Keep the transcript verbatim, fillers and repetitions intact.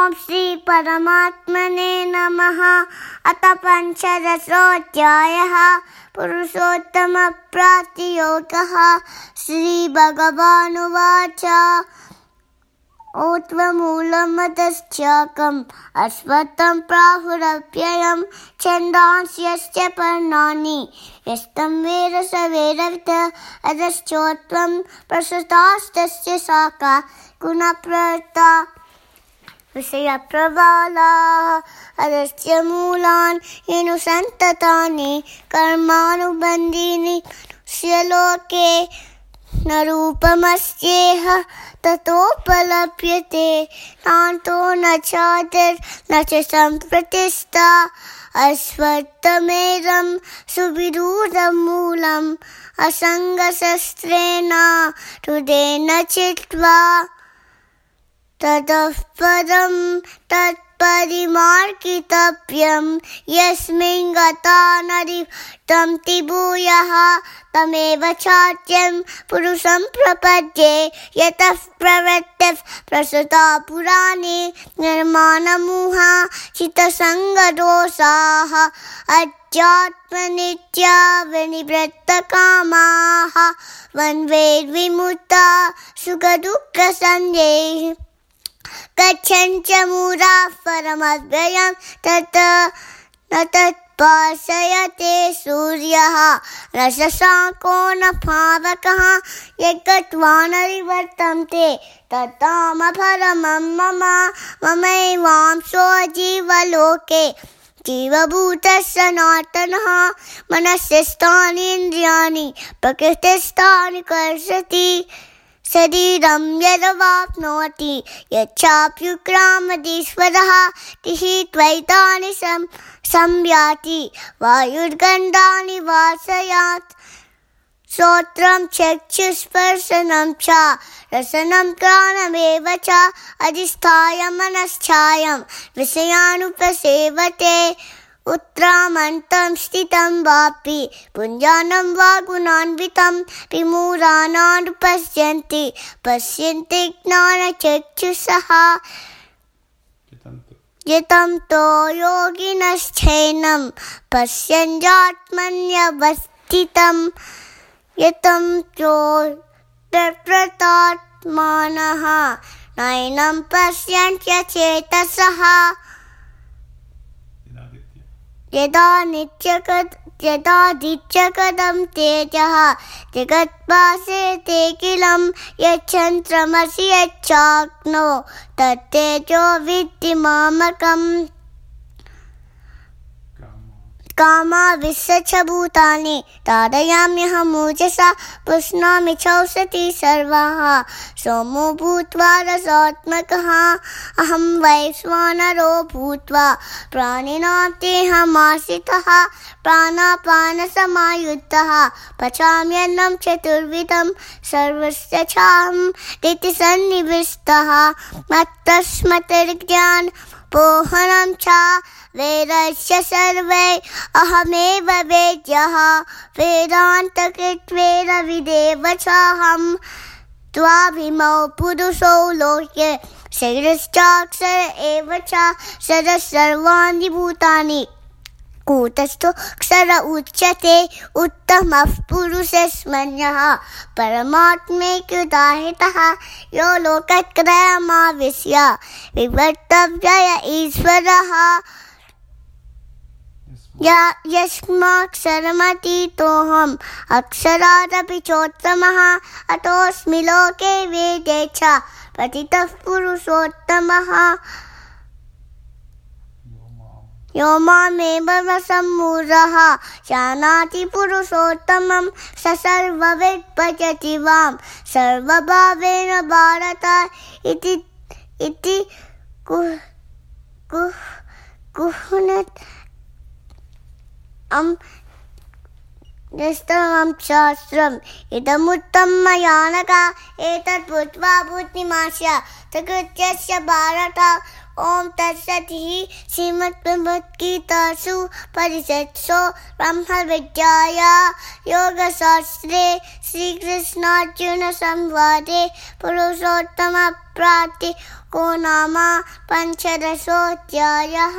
ॐ श्री परमात्मने नमः। अथ पञ्चदशोऽध्यायः पुरुषोत्तमप्राप्तियोगः। श्रीभगवानुवाच ऊर्ध्वमूलमधश्चाकम् अश्वत्थं प्राहुरव्ययं छन्दांस्यस्य पर्णानि यस्तं वेद स वेदवित् अधश्चोत्वं प्रसृतास्तस्य शाखा गुणप्रवृत्ता विषयप्रबालाः अधश्च मूलानि येनुसन्ततानि कर्मानुबन्धीनि मनुष्यलोके न रूपमस्येह ततोपलभ्यते नान्तो न चादिर् न च सम्प्रतिष्ठा अश्वत्थमेधं सुविरूढं मूलम् असङ्गशस्त्रेण रुदेन चित्वा ततः पदं तत्परिमार्गितव्यं यस्मिन् गता न निवर्तन्ति भूयः तमेव चाद्यं पुरुषं प्रपद्ये यतः प्रवृत्तिः प्रसृता पुराणे निर्माणमोहा चित्तसङ्गदोषाः अध्यात्मनित्या विनिवृत्तकामाः वन्वेद्विमुक्ता सुखदुःखसंज्ञैः गच्छन्ति मूढाः परमव्ययं तत् न तत्पार्श्वयते सूर्यः न शशाङ्को न पावकः यद्गत्वा न निवर्तन्ते तत्तामपरमं मम ममैवांशो जीवलोके जीवभूतः सनातनः मनस्यस्थानीन्द्रियाणि प्रकृतिस्थानि कर्षति शरीरं यदवाप्नोति यच्चाप्युत्क्रामतीश्वरः तिः त्वैतानि संयाति वायुर्गन्धानि वासयात् श्रोत्रं चक्षुस्पर्शनं च रसनं घ्राणमेव च अधिष्ठाय मनश्चायं विषयानुपसेवते उत्तरामन्तं स्थितं वापि पुञ्जानं वा गुणान्वितं विमूढानानुपश्यन्ति पश्यन्ति ज्ञानचक्षुषः यतं तो योगिनश्चैनं पश्यन्त्यात्मन्यवस्थितं यतं तो तत्प्रतात्मानः नैनं पश्यन्त्यचेतसः यदा नित्यकद यदादित्यकदं तेजः जगत्भासेते किलं यच्चन्द्रमसि यच्चाग्नो तत्तेजो विद्धि मामकम् कामाविश्य च भूतानि ताडयाम्यहमूजसा पुष्णामि चौषधी सर्वाः सोमो भूत्वा रसात्मकः अहं वैश्वानरो भूत्वा प्राणिनां देहमाश्रितः प्राणापानसमायुक्तः पचाम्यन्नं चतुर्विधं सर्वस्य चाहं दितिसन्निविष्टः मत्तस्मृतिर्ज्ञानं पोहनं च वेदस्य सर्वे अहमेव वेद्यः वेदान्तकृत्वेन विदेव चाहं द्वाभिमौ पुरुषौ लोके शरीरश्चाक्षर एव च शरः सर्वाणि भूतानि कूटस्थो क्षर उच्यते उत्तमः पुरुषस्मन्यः परमात्मैक्युदाहितः यो लोकत्रयमाविश्य विवर्तव्य ईश्वरः यस्माक्षरमतीतोऽहम् अक्षरादपि चोत्तमः अतोऽस्मि लोके वेदे च प्रतितः पुरुषोत्तमः यो मामेव सम्मूढः जानाति पुरुषोत्तमं स सर्वविद् भजति वां सर्वभावेन भारत इति इति कुह्नत् अं निष्ठमं शास्त्रम् इदमुत्तमं मया नघ एतत् भूत्वा भूतिमास्य तकृत्यस्य भारत ओम तत्सत् श्रीमद्भगवद्गीतासु परिषत्सु ब्रह्मविद्यायां योगशास्त्रे श्रीकृष्णार्जुन संवादे पुरुषोत्तमप्राप्ति को नाम पञ्चदशोऽध्यायः।